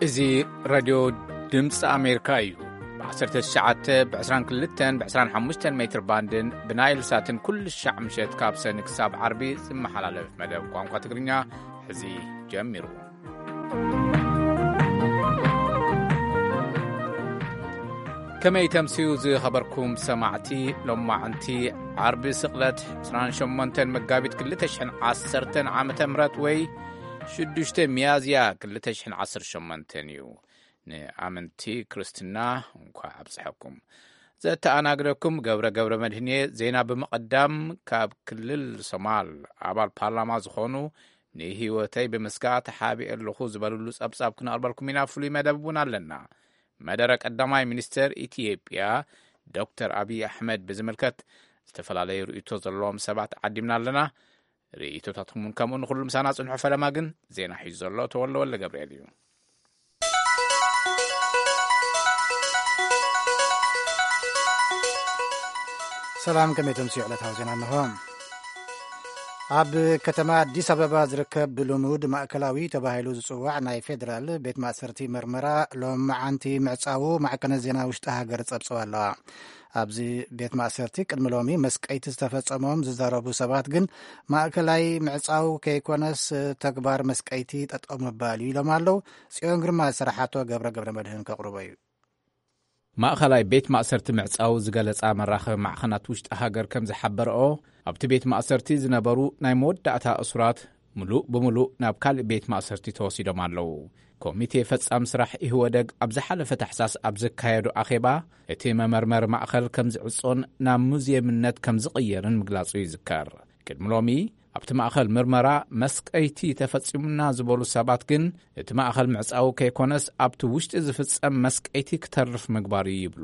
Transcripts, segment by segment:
እዚ ራድዮ ድምፂ ኣሜሪካ እዩ። ብ19፣ ብ22፣ ብ25 ሜትር ባንድን ብናይል ሳትን ኩሉ ሻዕ ምሸት ካብ ሰኒ ክሳብ ዓርቢ ዝመሓላለፍ መደብ ቋንቋ ትግርኛ ሕዚ ጀሚሩ። ከመይ ተምስዩ ዝኸበርኩም ሰማዕቲ? ሎማዕንቲ ዓርቢ ስቕለት 28 መጋቢት 2010 ዓመተ ምህረት ወይ 6 ሚያዝያ 2018 እዩ። ንኣመንቲ ክርስትና እንኳዕ ኣብጽሐኩም። ዘተኣናግደኩም ገብረ ገብረ መድህን እየ። ዜና ብምቕዳም፣ ካብ ክልል ሶማል ኣባል ፓርላማ ዝኾኑ ንህይወተይ ብምስጋእ ተሓቢኤ ኣለኹ ዝበልሉ ጸብጻብ ክነቕርበልኩም ኢና። ፍሉይ መደብ እውን ኣለና። መደረ ቀዳማይ ሚኒስተር ኢትዮጵያ ዶክተር ኣብይ ኣሕመድ ብዝምልከት ዝተፈላለዩ ርእይቶ ዘለዎም ሰባት ዓዲምና ኣለና። ርእይቶታትኩም እውን ከምኡ ንኹሉ ምሳና ጽንሑ። ፈለማ ግን ዜና ሒዙ ዘሎ ተወልደ ወልደ ገብርኤል እዩ። ሰላም፣ ከመይ ተምስዩ ዕለታዊ ዜና እንሆ። ኣብ ከተማ ኣዲስ ኣበባ ዝርከብ ብልሙድ ማእከላዊ ተባሂሉ ዝጽዋዕ ናይ ፌደራል ቤት ማእሰርቲ መርመራ ሎማዓንቲ ምዕጻዉ ማዕከነ ዜና ውሽጢ ሃገር ጸብጸባ ኣለዋ። ኣብዚ ቤት ማእሰርቲ ቅድሚ ሎሚ መስቀይቲ ዝተፈጸሞም ዝዛረቡ ሰባት ግን ማእከላይ ምዕጻው ከይኮነስ ተግባር መስቀይቲ ጠጠው ምባል እዩ ኢሎም ኣለዉ። ጽዮን ግርማ ዝሰራሓቶ ገብረ ገብረ መድህን ከቕርቦ እዩ። ማእኸላይ ቤት ማእሰርቲ ምዕጻው ዝገለጻ መራኸቢ ማዕኸናት ውሽጢ ሃገር ከም ዝሓበረኦ፣ ኣብቲ ቤት ማእሰርቲ ዝነበሩ ናይ መወዳእታ እሱራት ምሉእ ብምሉእ ናብ ካልእ ቤት ማእሰርቲ ተወሲዶም ኣለዉ። ኮሚቴ ፈጻም ስራሕ ኢህወደግ ኣብ ዝሓለፈ ታሕሳስ ኣብ ዘካየዶ ኣኼባ፣ እቲ መመርመሪ ማእኸል ከም ዝዕጾን ናብ ሙዝየምነት ከም ዝቕየርን ምግላጹ ይዝከር። ቅድሚ ሎሚ ኣብቲ ማእኸል ምርመራ መስቀይቲ ተፈጺሙና ዝበሉ ሰባት ግን፣ እቲ ማእኸል ምዕጻው ከይኮነስ ኣብቲ ውሽጢ ዝፍጸም መስቀይቲ ክተርፍ ምግባር እዩ ይብሉ።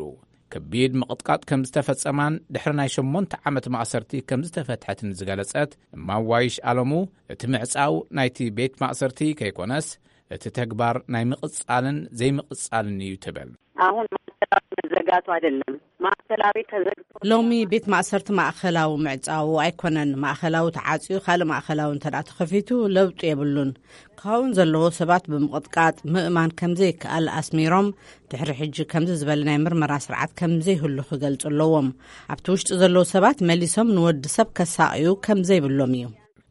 ከቢድ ምቕጥቃጥ ከም ዝተፈጸማን ድሕሪ ናይ ሸሞንተ ዓመት ማእሰርቲ ከም ዝተፈትሐትን ዝገለጸት እማም ዋይሽ ኣለሙ፣ እቲ ምዕጻው ናይቲ ቤት ማእሰርቲ ከይኮነስ እቲ ተግባር ናይ ምቕጻልን ዘይምቕጻልን እዩ ትብል። አሁን ማዕከላዊ መዘጋቱ አይደለም፣ ማዕከላዊ ተዘግቶ። ሎሚ ቤት ማእሰርቲ ማእኸላዊ ምዕጻው ኣይኮነን። ማእኸላዊ ተዓጽዩ ካልእ ማእኸላዊ እንተ ደኣ ተኸፊቱ ለውጢ የብሉን። ክኸውን ዘለዎ ሰባት ብምቕጥቃጥ ምእማን ከም ዘይከኣል ኣስሚሮም፣ ድሕሪ ሕጂ ከምዚ ዝበለ ናይ ምርመራ ስርዓት ከም ዘይህሉ ክገልጹ ኣለዎም። ኣብቲ ውሽጢ ዘለዉ ሰባት መሊሶም ንወዲ ሰብ ከሳቕዩ ከም ዘይብሎም እዩ።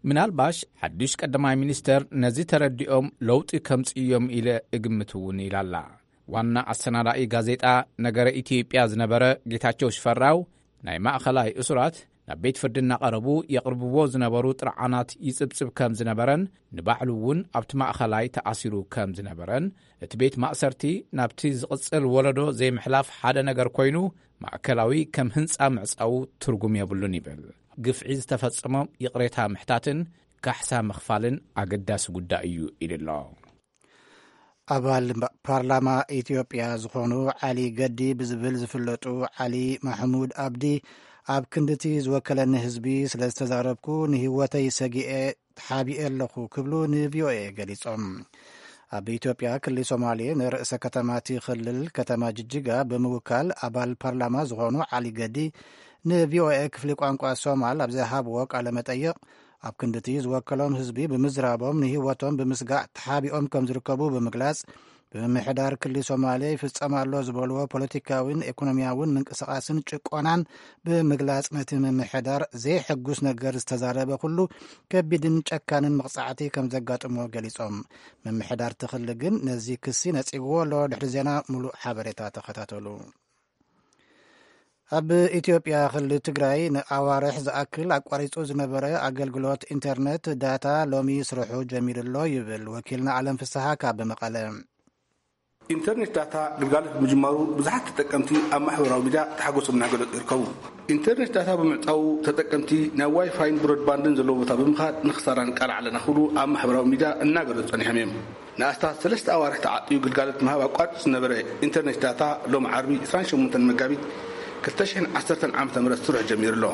ምናልባሽ ሓድሽ ቀዳማይ ሚኒስተር ነዚ ተረዲኦም ለውጢ ከምጽእዮም ኢለ እግምት እውን ኢላላ። ዋና ኣሰናዳኢ ጋዜጣ ነገረ ኢትዮጵያ ዝነበረ ጌታቸው ሽፈራው፣ ናይ ማእኸላይ እሱራት ናብ ቤት ፍርዲ እናቐረቡ የቕርብዎ ዝነበሩ ጥርዓናት ይጽብጽብ ከም ዝነበረን፣ ንባዕሉ እውን ኣብቲ ማእኸላይ ተኣሲሩ ከም ዝነበረን፣ እቲ ቤት ማእሰርቲ ናብቲ ዝቕጽል ወለዶ ዘይምሕላፍ ሓደ ነገር ኮይኑ፣ ማእከላዊ ከም ህንጻ ምዕጻዉ ትርጉም የብሉን ይብል። ግፍዒ ዝተፈጸሞም ይቕሬታ ምሕታትን ካሕሳ ምኽፋልን ኣገዳሲ ጉዳይ እዩ ኢሉ ኣሎ። ኣባል ፓርላማ ኢትዮጵያ ዝኾኑ ዓሊ ገዲ ብዝብል ዝፍለጡ ዓሊ ማሕሙድ ኣብዲ፣ ኣብ ክንድቲ ዝወከለኒ ህዝቢ ስለ ዝተዛረብኩ ንህይወተይ ሰጊኤ ተሓቢኤ ኣለኹ ክብሉ ንቪኦኤ ገሊጾም። ኣብ ኢትዮጵያ ክልል ሶማሌ ንርእሰ ከተማ እቲ ክልል ከተማ ጅጅጋ ብምውካል ኣባል ፓርላማ ዝኾኑ ዓሊ ገዲ ንቪኦኤ ክፍሊ ቋንቋ ሶማል ኣብ ዝሃብዎ ቃለ መጠይቕ፣ ኣብ ክንድቲ ዝወከሎም ህዝቢ ብምዝራቦም ንህይወቶም ብምስጋእ ተሓቢኦም ከም ዝርከቡ ብምግላጽ፣ ብምምሕዳር ክልል ሶማሌ ይፍጸም ኣሎ ዝበልዎ ፖለቲካዊን ኢኮኖሚያውን ምንቅስቓስን ጭቆናን ብምግላጽ፣ ነቲ ምምሕዳር ዘይሕጉስ ነገር ዝተዛረበ ኩሉ ከቢድን ጨካንን መቕጻዕቲ ከም ዘጋጥሞ ገሊጾም። ምምሕዳር እቲ ክልል ግን ነዚ ክሲ ነጺግዎ ኣሎ። ድሕሪ ዜና ሙሉእ ሓበሬታ ተኸታተሉ። ኣብ ኢትዮጵያ ክልል ትግራይ ንኣዋርሕ ዝኣክል ኣቋሪጹ ዝነበረ ኣገልግሎት ኢንተርኔት ዳታ ሎሚ ስርሑ ጀሚሩ ኣሎ ይብል ወኪልና ኣለም ፍስሓ ካብ መቐለ። ኢንተርኔት ዳታ ግልጋሎት ብምጅማሩ ብዙሓት ተጠቀምቲ ኣብ ማሕበራዊ ሚድያ ተሓጎሶም እናገለጹ ይርከቡ። ኢንተርኔት ዳታ ብምዕጻዉ ተጠቀምቲ ናብ ዋይፋይን ብሮድባንድን ዘለዎ ቦታ ብምኻድ ንኽሳራን ቃል ዓለና ክብሉ ኣብ ማሕበራዊ ሚድያ እናገለጹ ጸኒሖም እዮም። ንኣስታት ሰለስተ ኣዋርሕ ተዓጽዩ ግልጋሎት ምሃብ ኣቋሪጹ ዝነበረ ኢንተርኔት ዳታ ሎም ዓርቢ 28 መጋቢት 2010 ዓ.ም ስርሑ ጀሚሩ ኣሎ።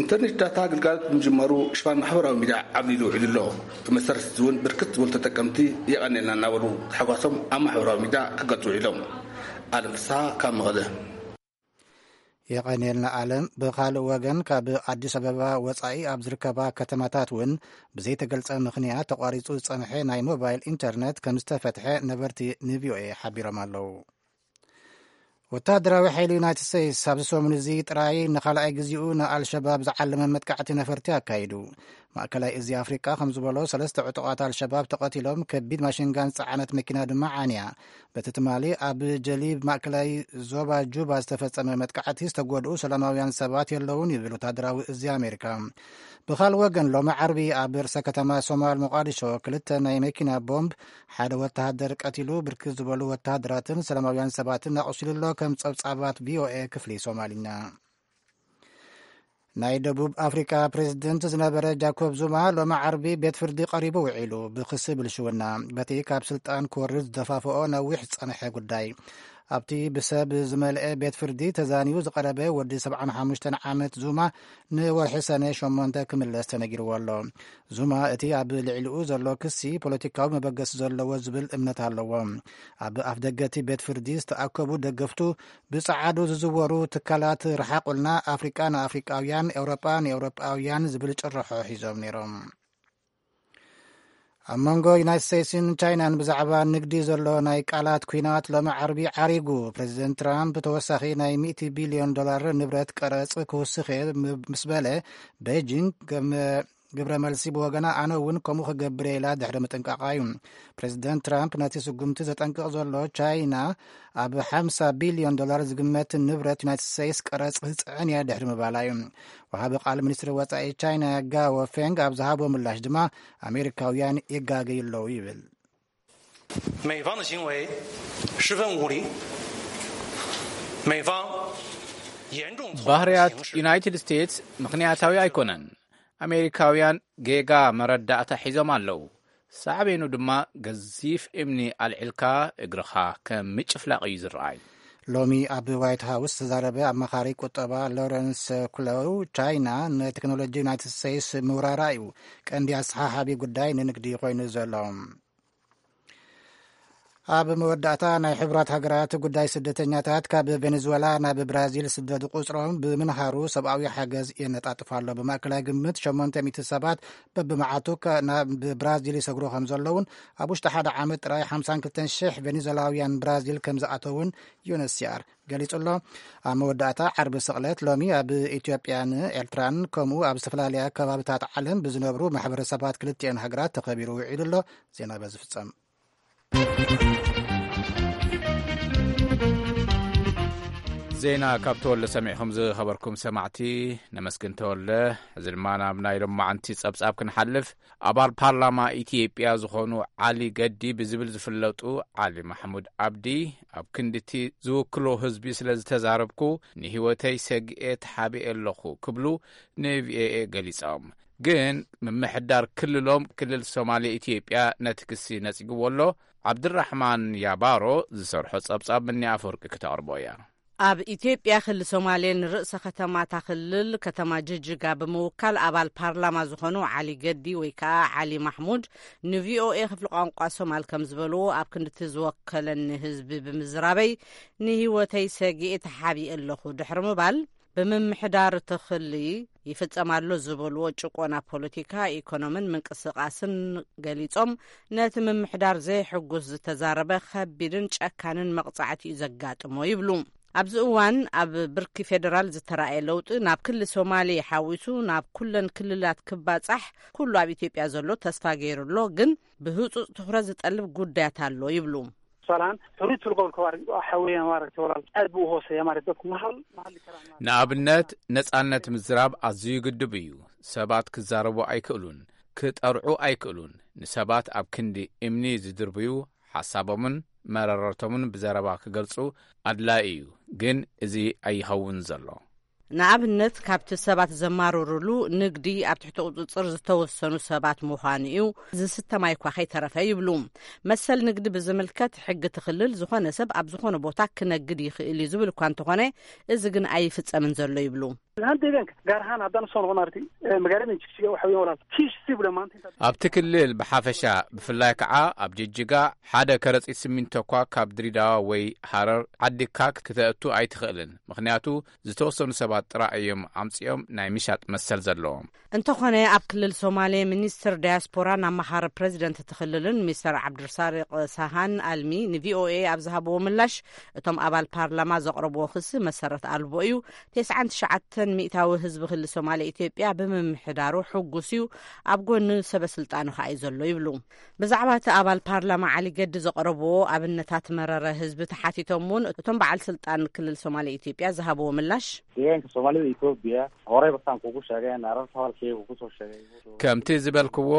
ኢንተርኔት ዳታ ግልጋሎት ብምጅማሩ ሽፋን ማሕበራዊ ሚድያ ዓብሊሉ ውዒሉ ኣሎ። ብመሰረት እዚ እውን ብርክት ዝበሉ ተጠቀምቲ የቐኔልና እናበሉ ተሓጓሶም ኣብ ማሕበራዊ ሚድያ ክገልጹ ውዒሎም። ኣለም ፍስሃ ካብ መቐለ። የቐንየልና ኣለም። ብኻልእ ወገን፣ ካብ ኣዲስ ኣበባ ወጻኢ ኣብ ዝርከባ ከተማታት እውን ብዘይተገልጸ ምኽንያት ተቋሪጹ ዝጸንሐ ናይ ሞባይል ኢንተርነት ከም ዝተፈትሐ ነበርቲ ንቪኦኤ ሓቢሮም ኣለዉ። ወተሃደራዊ ሓይሊ ዩናይትድ ስቴትስ ኣብዚ ሰሙን እዚ ጥራይ ንኻልኣይ ግዜኡ ንኣልሸባብ ዝዓለመ መጥቃዕቲ ነፈርቲ ኣካይዱ። ማእከላይ እዚ ኣፍሪቃ ከም ዝበሎ፣ ሰለስተ ዕጡቓት ኣልሸባብ ተቐቲሎም፣ ከቢድ ማሽንጋን ዝጸዓነት መኪና ድማ ዓንያ። በቲ ትማሊ ኣብ ጀሊብ ማእከላይ ዞባ ጁባ ዝተፈጸመ መጥቃዕቲ ዝተጎድኡ ሰላማውያን ሰባት የለውን ይብል ወተሃደራዊ እዚ ኣሜሪካ። ብኻልእ ወገን፣ ሎሚ ዓርቢ ኣብ ርእሰ ከተማ ሶማል ሞቃዲሾ ክልተ ናይ መኪና ቦምብ ሓደ ወተሃደር ቀቲሉ፣ ብርክት ዝበሉ ወተሃደራትን ሰላማውያን ሰባትን ኣቑሲሉ ኣሎ፣ ከም ጸብጻባት ቪኦኤ ክፍሊ ሶማልኛ። ናይ ደቡብ ኣፍሪቃ ፕሬዝደንት ዝነበረ ጃኮብ ዙማ ሎሚ ዓርቢ ቤት ፍርዲ ቀሪቡ ውዒሉ፣ ብክሲ ብልሽውና፣ በቲ ካብ ስልጣን ክወርድ ዝደፋፍኦ ነዊሕ ዝጸንሐ ጉዳይ። ኣብቲ ብሰብ ዝመልአ ቤት ፍርዲ ተዛንዩ ዝቐረበ ወዲ ሰብዓን ሓሙሽተን ዓመት ዙማ ንወርሒ ሰነ ሸሞንተ ክምለስ ተነጊርዎ ኣሎ። ዙማ እቲ ኣብ ልዕሊኡ ዘሎ ክሲ ፖለቲካዊ መበገሲ ዘለዎ ዝብል እምነት ኣለዎ። ኣብ ኣፍደገ እቲ ቤት ፍርዲ ዝተኣከቡ ደገፍቱ፣ ብጸዓዱ ዝዝወሩ ትካላት ርሓቑልና፣ ኣፍሪቃ ንኣፍሪቃውያን፣ ኤውሮጳ ንኤውሮጳውያን ዝብል ጭርሖ ሒዞም ነይሮም። ኣብ መንጎ ዩናይትድ ስቴትስን ቻይናን ብዛዕባ ንግዲ ዘሎ ናይ ቃላት ኲናት ሎሚ ዓርቢ ዓሪጉ። ፕሬዚደንት ትራምፕ ተወሳኺ ናይ ሚእቲ ቢልዮን ዶላር ንብረት ቀረጽ ክውስኽ እየ ምስ በለ፣ ቤጂንግ ከም ግብረ መልሲ ብወገና፣ ኣነ እውን ከምኡ ክገብር እየ ኢላ ድሕሪ ምጥንቃቓ እዩ። ፕሬዚደንት ትራምፕ ነቲ ስጉምቲ ዘጠንቅቕ ዘሎ፣ ቻይና ኣብ ሓምሳ ቢልዮን ዶላር ዝግመት ንብረት ዩናይትድ ስቴትስ ቀረጽ ክጽዕን እያ ድሕሪ ምባላ እዩ። ወሃቢ ቃል ሚኒስትሪ ወጻኢ ቻይና ጋዎ ፌንግ ኣብ ዝሃቦ ምላሽ ድማ፣ ኣሜሪካውያን ይጋገዩ ኣለዉ ይብል። 美方的行为十分无理，美方严重错 ባህርያት ዩናይትድ ስቴትስ ምኽንያታዊ ኣይኮነን። ኣሜሪካውያን ጌጋ መረዳእታ ሒዞም ኣለዉ። ሳዕቤኑ ድማ፣ ገዚፍ እምኒ ኣልዒልካ እግርኻ ከም ምጭፍላቕ እዩ ዝረኣይ። ሎሚ ኣብ ዋይት ሃውስ ዝተዛረበ ኣማኻሪ ቁጠባ ሎረንስ ኩለው፣ ቻይና ንቴክኖሎጂ ዩናይትድ ስቴትስ ምውራራ እዩ ቀንዲ ኣሰሓሓቢ ጉዳይ ንንግዲ ኮይኑ ዘሎ። ኣብ መወዳእታ፣ ናይ ሕቡራት ሃገራት ጉዳይ ስደተኛታት ካብ ቬኔዙዌላ ናብ ብራዚል ስደዱ ቁጽሮም ብምንሃሩ፣ ሰብኣዊ ሓገዝ የነጣጥፍ ኣሎ። ብማእከላይ ግምት ሸሞንተ ሚእቲ ሰባት በብመዓቱ ናብ ብራዚል ይሰግሩ ከም ዘለውን፣ ኣብ ውሽጢ ሓደ ዓመት ጥራይ ሓምሳን ክልተን ሽሕ ቬኔዙዌላውያን ብራዚል ከም ዝኣተውን ዩኤንኤችሲኣር ገሊጹ ኣሎ። ኣብ መወዳእታ፣ ዓርቢ ስቕለት ሎሚ ኣብ ኢትዮጵያን ኤርትራን ከምኡ ኣብ ዝተፈላለያ ከባብታት ዓለም ብዝነብሩ ማሕበረሰባት ክልቲኤን ሃገራት ተኸቢሩ ውዒሉ ኣሎ። ዜና በዚ ፍጸም። ዜና ካብ ተወልደ ሰሚዕኹም ዝኸበርኩም ሰማዕቲ፣ ነመስግን ተወልደ። እዚ ድማ ናብ ናይ ሎማዓንቲ ጸብጻብ ክንሓልፍ፣ ኣባል ፓርላማ ኢትዮጵያ ዝኾኑ ዓሊ ገዲ ብዝብል ዝፍለጡ ዓሊ ማሕሙድ ኣብዲ፣ ኣብ ክንድቲ ዝውክሎ ህዝቢ ስለ ዝተዛረብኩ፣ ንህይወተይ ሰግኤ ተሓቢኤ ኣለኹ ክብሉ ንቪኦኤ ገሊጾም። ግን ምምሕዳር ክልሎም ክልል ሶማሌ ኢትዮጵያ ነቲ ክሲ ነጺግዎ ኣሎ። ዓብድራሕማን ያባሮ ዝሰርሖ ጸብጻብ ምኒ ኣፈወርቂ ክተቕርቦ እያ። ኣብ ኢትዮጵያ ክልል ሶማሌ ንርእሰ ከተማ እታ ክልል ከተማ ጅጅጋ ብምውካል ኣባል ፓርላማ ዝኾኑ ዓሊ ገዲ ወይ ከዓ ዓሊ ማሕሙድ ንቪኦኤ ክፍሊ ቋንቋ ሶማል ከም ዝበልዎ፣ ኣብ ክንድቲ ዝወከለኒ ህዝቢ ብምዝራበይ ንህይወተይ ሰጊኤ ተሓቢኤ ኣለኹ ድሕሪ ምባል፣ ብምምሕዳር እቲ ክሊ ይፍጸም ኣሎ ዝበልዎ ጭቆና ፖለቲካ፣ ኢኮኖምን ምንቅስቃስን ገሊጾም፣ ነቲ ምምሕዳር ዘይሕጉስ ዝተዛረበ ከቢድን ጨካንን መቕጻዕቲ እዩ ዘጋጥሞ ይብሉ። ኣብዚ እዋን ኣብ ብርኪ ፌደራል ዝተራእየ ለውጢ ናብ ክሊ ሶማሌ ሓዊሱ ናብ ኩለን ክልላት ክባጻሕ ኩሉ ኣብ ኢትዮጵያ ዘሎ ተስፋ ገይሩ ኣሎ፣ ግን ብህጹጽ ትኹረት ዝጠልብ ጉዳያት ኣሎ ይብሉ። Tusaale ahaan, xorriyadda lagu kala xaweeyaan maaragtay walaal aad buu u hooseeyaa maaragtay dadku ma hal ma hadli karaan maaragtay. ንኣብነት፣ ነጻነት ምዝራብ ኣዝዩ ግዱብ እዩ። ሰባት ክዛረቡ ኣይክእሉን፣ ክጠርዑ ኣይክእሉን። ንሰባት ኣብ ክንዲ እምኒ ዝድርብዩ፣ ሓሳቦምን መረረቶምን ብዘረባ ክገልጹ ኣድላዪ እዩ፣ ግን እዚ ኣይኸውን ዘሎ። ንኣብነት፣ ካብቲ ሰባት ዘማርርሉ ንግዲ ኣብ ትሕቲ ቁጽጽር ዝተወሰኑ ሰባት ምዃኑ እዩ፣ ዝስተ ማይ እኳ ከይተረፈ ይብሉ። መሰል ንግዲ ብዝምልከት፣ ሕጊ እቲ ክልል ዝኾነ ሰብ ኣብ ዝኾነ ቦታ ክነግድ ይኽእል እዩ ዝብል እኳ እንተኾነ፣ እዚ ግን ኣይፍጸምን ዘሎ ይብሉ። Lahan deegaanka, gaar ahaan haddaan usoo noqon arti, eh, magaalada Jigjiga waxa weeyaan walaal, kiish si bula maanta intaad ኣብቲ ክልል ብሓፈሻ፣ ብፍላይ ከዓ ኣብ ጅጅጋ፣ ሓደ ከረጺት ሲሚንቶ እኳ ካብ ድሬዳዋ ወይ ሃረር ዓዲግካ ክተእቱ ኣይትኽእልን። ምኽንያቱ፣ ዝተወሰኑ ሰባት ጥራይ እዮም ኣምጺኦም ናይ ምሻጥ መሰል ዘለዎም። እንተኾነ፣ ኣብ ክልል ሶማሌ ሚኒስትር ዳያስፖራን ኣማኻሪ ፕሬዚደንት እቲ ክልልን ሚስተር ዓብዱልሳሪቅ ሳሃን ኣልሚ ንቪኦኤ ኣብ ዝሃብዎ ምላሽ፣ እቶም ኣባል ፓርላማ ዘቕረብዎ ክሲ መሰረት ኣልቦ እዩ። ተስዓን ትሽዓተን ሚእታዊ ህዝቢ ክልል ሶማሌ ኢትዮጵያ ብምምሕዳሩ ሕጉስ እዩ፣ ኣብ ጎኒ ሰበ ስልጣኑ ከኣ እዩ ዘሎ ይብሉ። ብዛዕባ እቲ ኣባል ፓርላማ ዓሊ ገዲ ዘቕረብዎ ኣብነታት መረረ ህዝቢ ተሓቲቶም እውን፣ እቶም በዓል ስልጣን ክልል ሶማሌ ኢትዮጵያ ዝሃብዎ ምላሽ፣ Deegaanka Soomaalida Itoobiya horey basaan kugu sheegay, naarar tabalkay ugu soo sheegay. ከምቲ ዝበልክዎ፣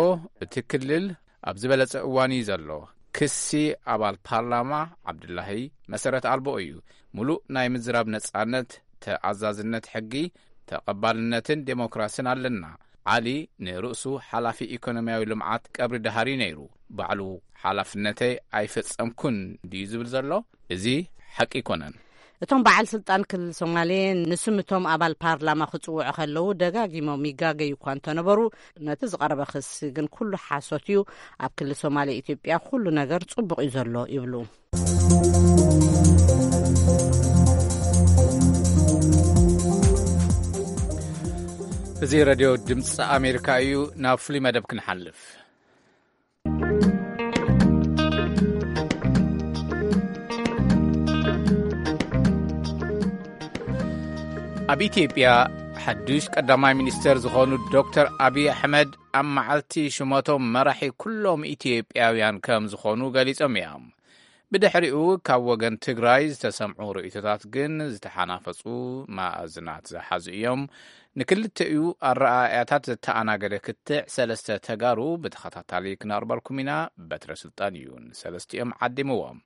እቲ ክልል ኣብ ዝበለጸ እዋን እዩ ዘሎ። ክሲ ኣባል ፓርላማ ዓብዱላሂ መሰረት ኣልቦ እዩ። ሙሉእ ናይ ምዝራብ ነጻነት፣ ተኣዛዝነት ሕጊ፣ ተቐባልነትን ዴሞክራስን ኣለና። ዓሊ ንርእሱ ሓላፊ ኢኮኖሚያዊ ልምዓት ቀብሪ ደሃሪ ነይሩ። ባዕሉ ሓላፍነተይ ኣይፈጸምኩን ድዩ ዝብል ዘሎ? እዚ ሓቂ ኣይኮነን። እቶም በዓል ስልጣን ክልል ሶማሌ ንስም እቶም ኣባል ፓርላማ ክጽውዑ ከለዉ ደጋጊሞም ይጋገዩ እኳ እንተነበሩ፣ ነቲ ዝቐረበ ክሲ ግን ኩሉ ሓሶት እዩ፣ ኣብ ክልል ሶማሌ ኢትዮጵያ ኩሉ ነገር ጽቡቕ እዩ ዘሎ ይብሉ። እዚ ሬድዮ ድምፂ ኣሜሪካ እዩ። ናብ ፍሉይ መደብ ክንሓልፍ። ኣብ ኢትዮጵያ ሓዱሽ ቀዳማይ ሚኒስተር ዝኾኑ ዶክተር ኣብይ ኣሕመድ ኣብ መዓልቲ ሽመቶም መራሒ ኩሎም ኢትዮጵያውያን ከም ዝኾኑ ገሊጾም እዮም። ብድሕሪኡ ካብ ወገን ትግራይ ዝተሰምዑ ርእይቶታት ግን ዝተሓናፈጹ መኣዝናት ዝሓዙ እዮም። ንክልተኡ ኣረኣእያታት ዘተኣናገደ ክትዕ ሰለስተ ተጋሩ ብተኸታታሊ ክነቕርበልኩም ኢና። በትረ ስልጣን እዩ ንሰለስቲኦም ዓዲምዎም።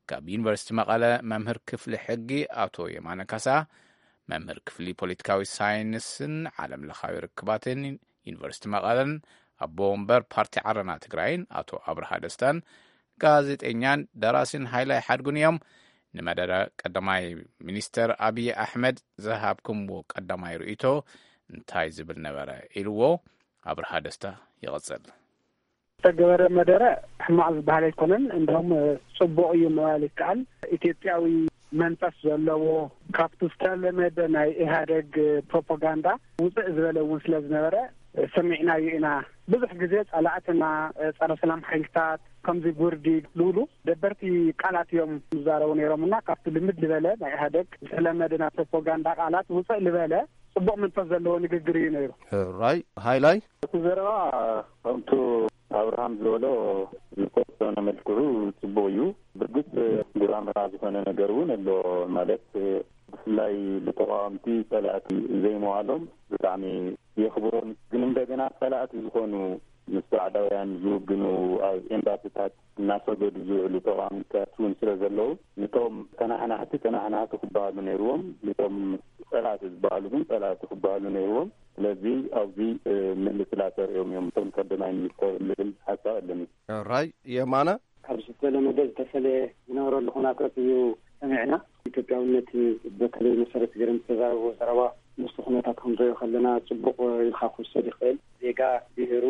ካብ ዩኒቨርሲቲ መቐለ መምህር ክፍሊ ሕጊ ኣቶ የማነ ካሳ፣ መምህር ክፍሊ ፖለቲካዊ ሳይንስን ዓለም ለኻዊ ርክባትን ዩኒቨርሲቲ መቐለን ኣቦ ወንበር ፓርቲ ዓረና ትግራይን ኣቶ ኣብርሃ ደስታን፣ ጋዜጠኛን ደራሲን ሃይላይ ሓድጉን እዮም። ንመደረ ቀዳማይ ሚኒስተር ኣብይ ኣሕመድ ዝሃብኩምዎ ቀዳማይ ርእይቶ እንታይ ዝብል ነበረ? ኢልዎ ኣብርሃ ደስታ ይቐጽል። ዝተገበረ መደረ ሕማቕ ዝበሃል ኣይኮነን፣ እንደውም ጽቡቕ እዩ ምባል ይከኣል። ኢትዮጵያዊ መንፈስ ዘለዎ፣ ካብቲ ዝተለመደ ናይ ኢህኣደግ ፕሮፓጋንዳ ውፅእ ዝበለ እውን ስለ ዝነበረ ሰሚዕናዮ ኢና። ብዙሕ ግዜ ጸላእትና፣ ጸረ ሰላም ሓይልታት፣ ከምዚ ጉርዲ ዝብሉ ደበርቲ ቃላት እዮም ዝዛረቡ ነይሮም እና ካብቲ ልምድ ዝበለ ናይ ኢህኣደግ ዝተለመደ ናይ ፕሮፓጋንዳ ቃላት ውፅእ ዝበለ ጽቡቕ መንፈስ ዘለዎ ንግግር እዩ ነይሩ። ሕራይ ሃይላይ። እቲ ዘረባ ከምቱ ኣብርሃም ዝበሎ ዝተወሰነ መልክዑ ጽቡቕ እዩ። ብርግጽ ጉራምራ ዝኾነ ነገር እውን ኣሎ። ማለት ብፍላይ ንተቃወምቲ ጸላእቲ ዘይምባሎም ብጣዕሚ የኽብሮን። ግን እንደገና ጸላእቲ ዝኾኑ ምስ ባዕዳውያን ዝውግኑ ኣብ ኤምባሲታት እናሰገዱ ዝውዕሉ ተቃዋሚታት እውን ስለ ዘለዉ፣ ንቶም ተናሓናሕቲ ተናሓናሕቲ ክበሃሉ ነይርዎም፣ ንቶም ጸላእቲ ዝበሃሉ ግን ጸላእቲ ክበሃሉ ነይርዎም። ስለዚ ኣብዚ ምልስላ ተርእዮም እዮም እቶም ቀዳማይ ሚኒስተር ዝብል ሓሳብ ኣለኒ። ራይ የማነ። ካብ ዝተለመደ ዝተፈለየ ዝነበረሉ ኩነታት እዩ ሰሚዕና። ኢትዮጵያውነት በተለይ መሰረት ገይሮም ዝተዛረብዎ ዘረባ ምስቲ ኩነታት ክንሪኦ ከለና ጽቡቕ ኢልካ ክውሰድ ይኽእል። ዜጋ ብሄሩ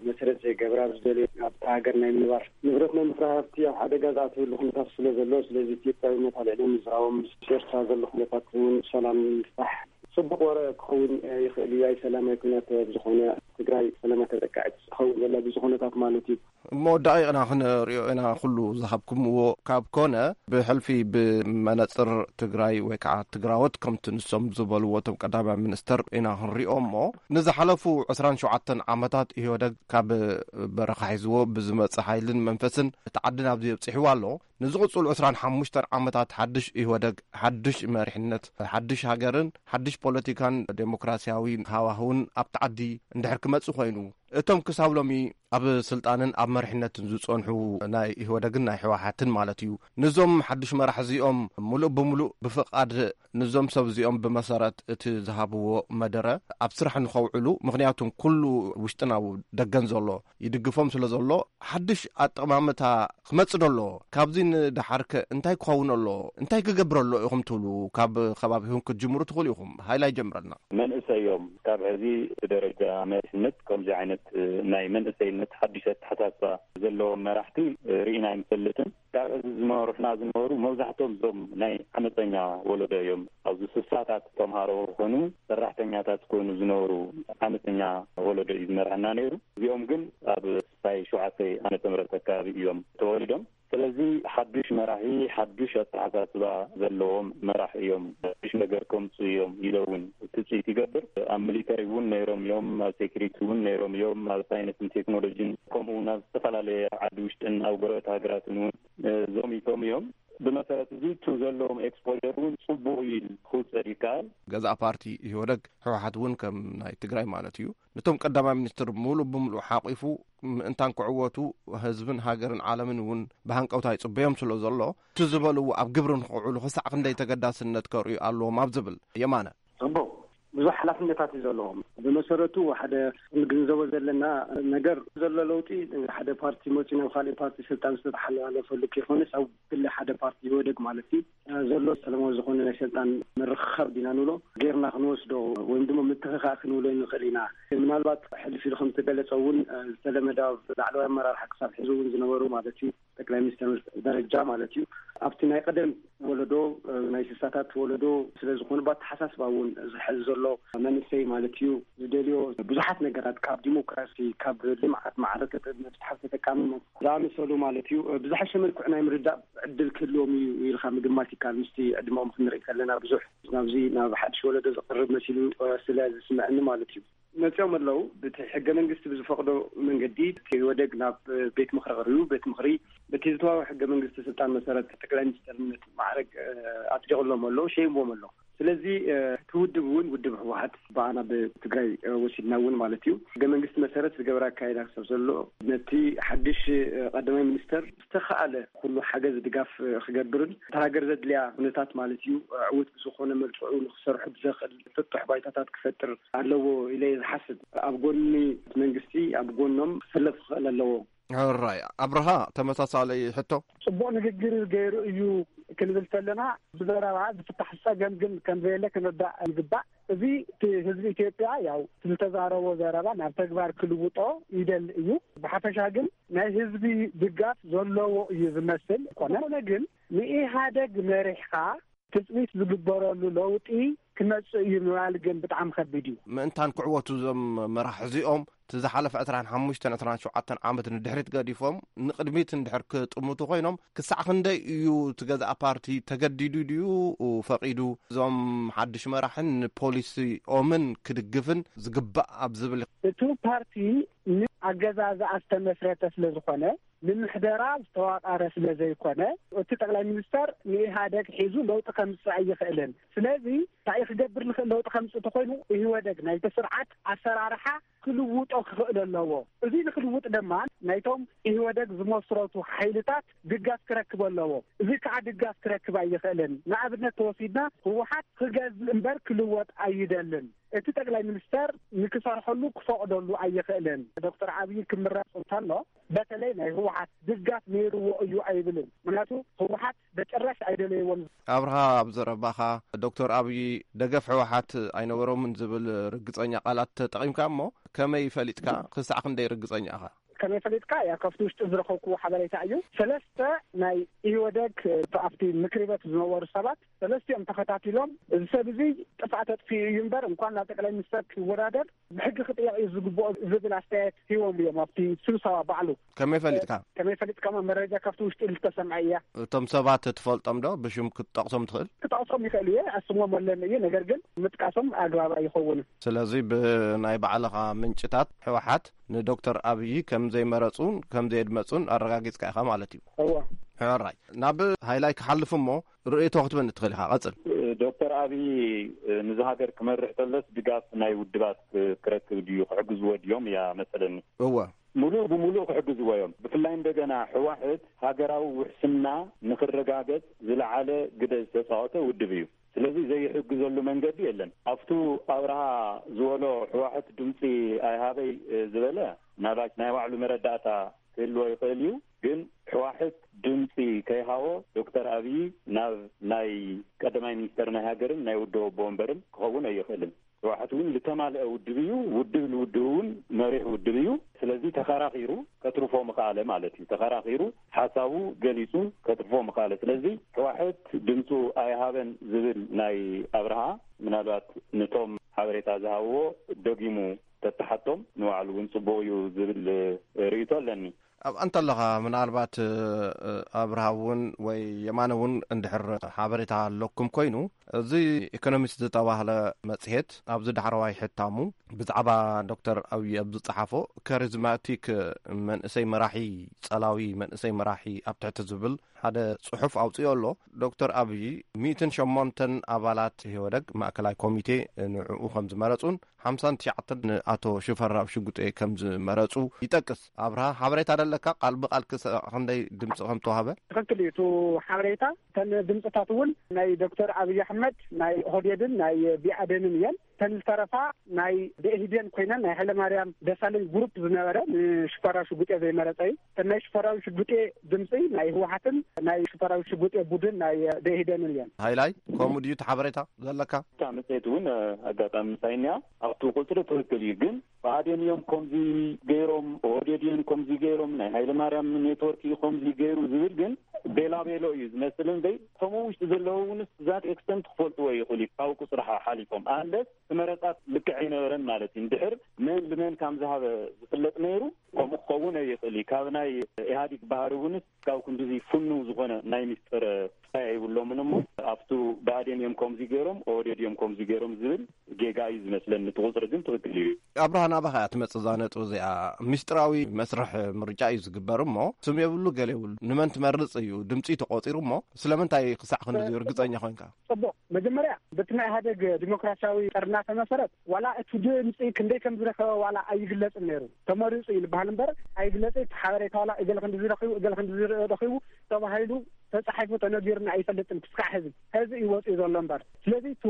መሰረት ዘይገብር ኣብ ዝደልዮ ኣብታ ሃገር ናይ ምንባር ንብረት ናይ ምፍራይ ሃፍቲ ኣብ ሓደጋ ዝኣተወሉ ኩነታት ስለ ዘሎ፣ ስለዚ ኢትዮጵያውነት ኣልዒሎም ምዝራቦም ምስ ኤርትራ ዘሎ ኩነታት እውን ሰላም ንምፍታሕ ጽቡቕ ወረ ክኸውን ይኽእል እዩ። ኣይ ሰላም ኣይ ኩናት ኣብ ዝኾነ ትግራይ ሰላማ ተጠቃዒት ትኸውን ዘላ ብዙ ኩነታት ማለት እዩ። እሞ ደቂቕና ክንሪኦ ኢና ኩሉ ዝሃብኩምዎ ካብ ኮነ ብሕልፊ ብመነጽር ትግራይ ወይ ከዓ ትግራዎት ከምቲ ንሶም ዝበልዎ እቶም ቀዳማይ ሚኒስተር ኢና ክንሪኦ እሞ ንዝሓለፉ ዕስራን ሸውዓተን ዓመታት ኢህወደግ ካብ በረኻ ሒዝዎ ብዝመጽእ ሓይልን መንፈስን እቲ ዓዲ ናብዚ ኣብጺሕዋ ኣሎ። ንዝቕጽሉ ዕስራን ሓሙሽተን ዓመታት ሓድሽ ኢህወደግ፣ ሓድሽ መሪሕነት፣ ሓድሽ ሃገርን ሓድሽ ፖለቲካን ዴሞክራሲያዊ ሃዋህውን ኣብቲ ዓዲ እንድሕር ክመጽእ ኮይኑ፣ እቶም ክሳብ ሎሚ ኣብ ስልጣንን ኣብ መሪሕነትን ዝጸንሑ ናይ ኢህወደግን ናይ ህወሓትን ማለት እዩ፣ ንዞም ሓድሽ መራሕ እዚኦም ምሉእ ብምሉእ ብፍቓድ ንዞም ሰብ እዚኦም ብመሰረት እቲ ዝሃብዎ መደረ ኣብ ስራሕ ንኸውዕሉ፣ ምኽንያቱም ኩሉ ውሽጥን ኣብ ደገን ዘሎ ይድግፎም ስለ ዘሎ፣ ሓድሽ ኣጠማምታ ክመጽእ ደሎ። ካብዚ ንደሓርከ እንታይ ክኸውን ኣሎ? እንታይ ክገብር ኣሎ ኢኹም ትብሉ? ካብ ከባቢኹም ክትጅምሩ ትኽእሉ ኢኹም። ሃይላይ ጀምረልና። መንእሰይ እዮም። ካብ ሕዚ እቲ ደረጃ መሪሕነት ከምዚ ዓይነት ናይ መንእሰይነት ሓድሽ ኣተሓሳስባ ዘለዎም መራሕቲ ርኢና ኣይንፈልጥን። ካብ ሕዚ ዝመሩሕና ዝነበሩ መብዛሕትኦም እዞም ናይ ዓመፀኛ ወለዶ እዮም። ኣብዚ ስሳታት ተምሃሮ ክኾኑ ሰራሕተኛታት ክኾኑ ዝነበሩ ዓመፀኛ ወለዶ እዩ ዝመርሐና ነይሩ። እዚኦም ግን ኣብ ስሳይ ሸውዓተ ዓመተ ምህረት ኣካባቢ እዮም ተወሊዶም። ስለዚ ሓዱሽ መራሒ፣ ሓዱሽ ኣተሓሳስባ ዘለዎም መራሕ እዮም። ሓዱሽ ነገር ከምፁ እዮም ኢለ እውን ትፅኢት ይገብር። ኣብ ሚሊተሪ እውን ነይሮም እዮም፣ ኣብ ሴኩሪቲ እውን ነይሮም እዮም፣ ኣብ ሳይንስን ቴክኖሎጂን ከምኡ እውን ኣብ ዝተፈላለየ ዓዲ ውሽጥን ኣብ ጎረቤት ሃገራትን እውን እ፣ ዘሚቶም እዮም። ብመሰረት እዚ እቲ ዘለዎም ኤክስፖጀር እውን ፅቡቕ እዩ ክውሰድ ይከኣል። ገዛእ ፓርቲ ኢህወደግ፣ ህወሓት እውን ከም ናይ ትግራይ ማለት እዩ፣ ነቶም ቀዳማይ ሚኒስትር ሙሉእ ብምሉእ ሓቂፉ ምእንታን ክዕወቱ ህዝብን ሃገርን ዓለምን እውን ብሃንቀውታ ይፅበዮም ስለ ዘሎ፣ እቲ ዝበልዎ ኣብ ግብሪ ንክውዕሉ ክሳዕ ክንደይ ተገዳስነት ከርእዩ ኣለዎም ኣብ ዝብል። የማነ። ፅቡቕ፣ ብዙሕ ሓላፍነታት እዩ ዘለዎም። ብመሰረቱ ሓደ ክንግንዘቦ ዘለና ነገር፣ ዘሎ ለውጢ ሓደ ፓርቲ መፂኡ ናብ ካልእ ፓርቲ ስልጣን ዝተተሓላለፈሉ ከይኮነስ፣ ኣብ ክሊ ሓደ ፓርቲ ኢህወደግ ማለት እዩ ዘሎ ሰላማዊ ዝኾነ ናይ ስልጣን ምርኽኻብ ዲና ንብሎ ጌርና ክንወስዶ ወይም ድማ ምትኽኻእ ክንብሎ ንኽእል ኢና። ምናልባት ሕልፍ ኢሉ ከም ዝተገለጸ እውን ዝተለመደ ኣብ ላዕለዋይ ኣመራርሓ ክሳብ ሕዚ እውን ዝነበሩ ማለት እዩ ጠቅላይ ሚኒስትር ደረጃ ማለት እዩ። ኣብቲ ናይ ቀደም ወለዶ፣ ናይ ስሳታት ወለዶ ስለ ዝኾኑ፣ ብኣተሓሳስባ እውን ዝሕዝ ዘሎ መንእሰይ ማለት እዩ ዝደልዮ ብዙሓት ነገራት ካብ ዲሞክራሲ፣ ካብ ልምዓት፣ ማዕረ ተጠ-፣ መፍትሓ ተጠቃምነት ዝኣመሰሉ ማለት እዩ ብዝሓሸ መልክዑ ናይ ምርዳእ ዕድል ክህልዎም እዩ ኢልካ ምግማት ይከኣል። ምስቲ ዕድመኦም ክንርኢ ከለና ብዙሕ ናብዚ ናብ ሓድሽ ወለዶ ዝቐርብ መሲሉ ስለ ዝስምዐኒ ማለት እዩ። መፂኦም ኣለዉ። በቲ ሕገ መንግስቲ ብዝፈቕዶ መንገዲ እቲ ኢህወደግ ናብ ቤት ምኽሪ ቀሪቡ፣ ቤት ምኽሪ በቲ ዝተዋወ ሕገ መንግስቲ ስልጣን መሰረት ጠቅላይ ሚኒስትርነት ማዕረግ ኣፅዲቕሎም ኣሎ፣ ሸይምዎም ኣሎ። ስለዚ እቲ ውድብ እውን ውድብ ህወሓት ብኣና ብትግራይ ወሲድና እውን ማለት እዩ ሕገ መንግስቲ መሰረት ዝገበረ ኣካይዳ ክሳብ ዘሎ ነቲ ሓድሽ ቀዳማይ ሚኒስተር ዝተኸኣለ ኩሉ ሓገዝ ድጋፍ ክገብርን እታ ሃገር ዘድልያ ኩነታት ማለት እዩ ዕውት ብዝኾነ መልክዑ ንክሰርሑ ብዘኽእል ጥጡሕ ባይታታት ክፈጥር ኣለዎ ኢለ እየ ዝሓስብ። ኣብ ጎኒ መንግስቲ ኣብ ጎኖም ክሰለፍ ክኽእል ኣለዎ። ሕራይ ኣብርሃ፣ ተመሳሳሊ ሕቶ። ጽቡቕ ንግግር ገይሩ እዩ ክንብል ከለና ብዘረባ ዝፍታሕ ጸገም ግን ከም ዘየለ ክንርዳእ ይግባእ። እዚ እቲ ህዝቢ ኢትዮጵያ ያው ዝተዛረቦ ዘረባ ናብ ተግባር ክልውጦ ይደሊ እዩ። ብሓፈሻ ግን ናይ ህዝቢ ድጋፍ ዘለዎ እዩ ዝመስል። ኮነ ግን ንኢህኣደግ መሪሕካ ትጽቢት ዝግበረሉ ለውጢ ክመጽእ እዩ ምባል ግን ብጣዕሚ ከቢድ እዩ። ምእንታን ክዕወቱ እዞም መራሕ እዚኦም እቲ ዝሓለፈ ዕስራን ሓሙሽተን ዕስራን ሸውዓተን ዓመት ንድሕሪት ገዲፎም ንቕድሚት እንድሕር ክጥምቱ ኮይኖም ክሳዕ ክንደይ እዩ እቲ ገዛእ ፓርቲ ተገዲዱ ድዩ ፈቒዱ እዞም ሓድሽ መራሕን ንፖሊሲኦምን ክድግፍን ዝግባእ ኣብ ዝብል? እቲ ፓርቲ ንኣገዛዝኣ ዝተመስረተ ስለ ዝኾነ ንምሕደራ ዝተዋቐረ ስለ ዘይኮነ እቲ ጠቅላይ ሚኒስተር ንኢህኣደግ ሒዙ ለውጢ ከምፅእ ኣይኽእልን። ስለዚ እንታይ ክገብር ንኽእል ለውጢ ከምፅእ ተኮይኑ ኢህወደግ ናይቲ ስርዓት ኣሰራርሓ ክልውጦ ክኽእል ኣለዎ። እዚ ንክልውጥ ድማ ናይቶም ኢህወደግ ዝመስረቱ ሓይልታት ድጋፍ ክረክብ ኣለዎ። እዚ ከዓ ድጋፍ ክረክብ ኣይኽእልን። ንኣብነት ተወሲድና ህወሓት ክገዝእ እምበር ክልወጥ ኣይደልን። እቲ ጠቅላይ ሚኒስተር ንክሰርሐሉ ክፈቕደሉ ኣይኽእልን። ዶክተር ኣብይ ክምረፅ እንተሎ በተለይ ናይ ህወሓት ድጋፍ ነይርዎ እዩ ኣይብልን። ምክንያቱ ህወሓት በጭራሽ ኣይደለይዎን። ኣብርሃ፣ ኣብ ዘረባኻ ዶክተር ኣብይ ደገፍ ህወሓት ኣይነበሮምን ዝብል ርግፀኛ ቃላት ተጠቒምካ እሞ ከመይ ፈሊጥካ? ክሳዕ ክንደይ ርግፀኛ ኢኻ? ከመይ ፈሊጥካ? ያ ካብቲ ውሽጢ ዝረኸብክዎ ሓበሬታ እዩ። ሰለስተ ናይ ኢህወደግ ኣብቲ ምክሪ ቤት ዝነበሩ ሰባት ሰለስቲኦም ተኸታቲሎም እዚ ሰብ እዚ ጥፍኣት ኣጥፊኡ እዩ እምበር እንኳን ናብ ጠቅላይ ሚኒስተር ክወዳደር ብሕጊ ክጥየቕ እዩ ዝግብኦ ዝብል ኣስተያየት ሂቦም እዮም ኣብቲ ስብሰባ ባዕሉ። ከመይ ፈሊጥካ? ከመይ ፈሊጥካ? መረጃ ካብቲ ውሽጢ ዝተሰምዐ እያ። እቶም ሰባት ትፈልጦም ዶ? ብሽም ክትጠቕሶም ትኽእል? ክጠቕሶም ይኽእል እየ፣ ኣስሞም ኣለኒ እዩ። ነገር ግን ምጥቃሶም ኣግባብ ኣይኸውንን። ስለዚ ብናይ ባዕልኻ ምንጭታት ህወሓት ንዶክተር ኣብይ ከም ዘይመረፁን ከም ዘየድመፁን ኣረጋጊፅካ ኢኻ ማለት እዩ። እዎ። ሕራይ ናብ ሃይላይ ክሓልፍ እሞ ርእይቶ ክትበኒ ትኽእል ኢኻ። ቀፅል። ዶክተር ኣብይ ንዚ ሃገር ክመርሕ ተሎስ ድጋፍ ናይ ውድባት ክረክብ ድዩ? ክሕግዝዎ ድዮም እያ መሰለኒ። እወ። ሙሉእ ብሙሉእ ክሕግዝዎ እዮም። ብፍላይ እንደገና ሕዋሕት ሃገራዊ ውሕስና ንክረጋገጽ ዝለዓለ ግደ ዝተጻወተ ውድብ እዩ። ስለዚ ዘይሕግዘሉ መንገዲ የለን። ኣብቱ ኣብርሃ ዝበሎ ሕዋሕት ድምፂ ኣይሃበይ ዝበለ ምናልባት ናይ ባዕሉ መረዳእታ ክህልዎ ይኽእል እዩ። ግን ሕዋሕት ድምፂ ከይሃቦ ዶክተር ኣብይ ናብ ናይ ቀዳማይ ሚኒስተር ናይ ሃገርን ናይ ውድብ ኣቦ ወንበርን ክኸውን ኣይኽእልን። ሕዋሕት እውን ዝተማልአ ውድብ እዩ። ውድብ ንውድብ እውን መሪሕ ውድብ እዩ። ስለዚ ተኸራኺሩ ከትርፎ ምኽኣለ ማለት እዩ። ተኸራኺሩ ሓሳቡ ገሊፁ ከትርፎ ምኽኣለ። ስለዚ ሕዋሕት ድምፁ ኣይሃበን ዝብል ናይ ኣብርሃ ምናልባት ንቶም ሓበሬታ ዝሃብዎ ደጊሙ ተተሓቶም ንባዕሉ እውን ፅቡቕ እዩ ዝብል ርእይቶ ኣለኒ። ኣብ ኣንተ ኣለኻ ምናልባት ኣብርሃ እውን ወይ የማነ እውን እንድሕር ሓበሬታ ኣለኩም ኮይኑ፣ እዚ ኢኮኖሚስት ዝተባህለ መጽሔት ኣብዚ ዳሕረዋይ ሕታሙ ብዛዕባ ዶክተር ኣብይ ኣብ ዝጸሓፎ፣ ካሪዝማቲክ መንእሰይ መራሒ፣ ጸላዊ መንእሰይ መራሒ ኣብ ትሕቲ ዝብል ሓደ ጽሑፍ ኣውጽኦ ኣሎ። ዶክተር ኣብይ ሚእትን ሸሞንተን ኣባላት ኢህወደግ ማእከላይ ኮሚቴ ንዕኡ ከም ዝመረጹን ሓምሳን ትሽዓተን ንኣቶ ሽፈራው ሽጉጤ ከም ዝመረጹ ይጠቅስ። ኣብርሃ፣ ሓበሬታ ደለካ? ቃል ብቃል ክስ-፣ ክንደይ ድምፂ ከም ተዋህበ? ትኽክል እዩ። እቲ ሓበሬታ፣ እተን ድምፅታት እውን ናይ ዶክተር ኣብይ ኣሕመድ፣ ናይ ኦህዴድን ናይ ቢኣደንን እየን። እተን ዝተረፋ ናይ ደኢህዴን ኮይነን፣ ናይ ሃይለማርያም ደሳለኝ ግሩፕ ዝነበረ፣ ንሽፈራው ሽጉጤ ዘይመረጸ እዩ። እተን ናይ ሽፈራው ሽጉጤ ድምፂ ናይ ህወሓትን ናይ ሽፈራው ሽጉጤ ቡድን ናይ ደኢህዴንን እየን። ሃይላይ፣ ከምኡ ድዩ እቲ ሓበሬታ ዘለካ? እታ መጽሔት እውን፣ እ፣ ኣጋጣሚ ምሳይ እኒኣ። ኣብቲ ቁጽሪ ትኽክል እዩ፣ ግን ብኣዴን እዮም ከምዚ ገይሮም፣ ኦህዴድ እዮም ከምዚ ገይሮም፣ ናይ ሃይለ ማርያም ኔትወርክ እዩ ከምዚ ገይሩ ዝብል ግን ቤላ ቤሎ እዩ ዝመስል እምበይ፣ ከምኡ ውሽጢ ዘለዉ እውን ዛት ኤክስተንት ክፈልጥዎ ይኽእሉ እዩ፣ ካብ ቁጽሪ ሓ-፣ ሓሊፎም። ኣንለስ እቲ መረጻት ልክዕ ኣይነበረን ማለት እዩ። እንድሕር መን ልመን ከም ዝሃበ ዝፍለጥ ነይሩ፣ ከምኡ ክኸውን ኣይኽእል እዩ። ካብ ናይ ኢህኣዲግ ባህሪ እውንስ ካብ ክንድዚ ፍኑው ዝኾነ ናይ ሚስጥር ታይ ኣይብሎምን እሞ፣ ኣብቱ ብኣዴን እዮም ከምዚ ገይሮም፣ ኦህዴድ እዮም ከምዚ ገይሮም ዝብል ጌጋ እዩ ዝመስለኒ። እቲ ቁፅሪ ግን ትኽክል እዩ። ኣብርሃ፣ ናባኻ እያ ትመጽእ እዛ ነጥቢ እዚኣ። ሚስጥራዊ መስርሕ ምርጫ እዩ ዝግበር እሞ፣ ስም የብሉ፣ ገለ የብሉ። ንመን ትመርጽ እዩ ድምፂ ተቆፂሩ እሞ፣ ስለምንታይ ክሳዕ ክንድዚ ርግፀኛ ኮይንካ? ጽቡቕ። መጀመርያ፣ በቲ ናይ ኢህኣዴግ ዲሞክራሲያዊ ጥርናፈ መሰረት፣ ዋላ እቲ ድምፂ ክንደይ ከም ዝረኸበ ዋላ ኣይግለጽን ነይሩ። ተመሪጹ እዩ ዝበሃል እምበር፣ ኣይግለጽ፣ እቲ ሓበሬታ ዋላ እገለ ክንዲ ዝረኺቡ፣ እገለ ክንዲ ዝረኺቡ ተባሂሉ ተጻሒፉ ተነጊሩና ኣይፈልጥን ክስካዕ ሕዚ። ሕዚ እዩ ወፂኡ ዘሎ እምበር። ስለዚ፣ እቲ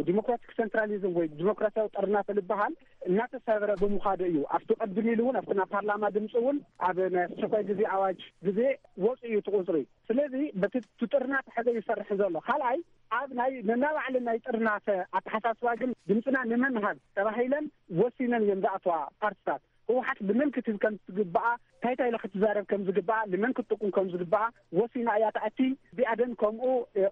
ዲሞክራቲክ ሴንትራሊዝም ወይ ዲሞክራሲያዊ ጥርናፈ ዝበሃል እናተሰብረ ብምዃዱ እዩ። ኣብቲ ቀድም ኢሉ እውን፣ ኣብቲ ናብ ፓርላማ ድምፂ እውን፣ ኣብ ናይ ኣስቸኳይ ግዜ ኣዋጅ ግዜ ወፂኡ እዩ እቲ ቁፅሪ። ስለዚ፣ በቲ እቲ ጥርናፈ ሕዚ ይሰርሕ ዘሎ። ካልኣይ፣ ኣብ ናይ ነናባዕለን ናይ ጥርናፈ ኣተሓሳስባ ግን ድምፅና ንመን ንሃብ ተባሂለን ወሲነን እየን ዝኣተዋ ፓርቲታት። ህወሓት ብመን ክትህብ ከም ትግብኣ፣ እንታይ እንታይ ኢላ ክትዛረብ ከም ዝግብኣ፣ ንመን ክትጥቁም ከም ዝግብኣ ወሲና እያ ትኣቲ። ብኣዴን ከምኡ፣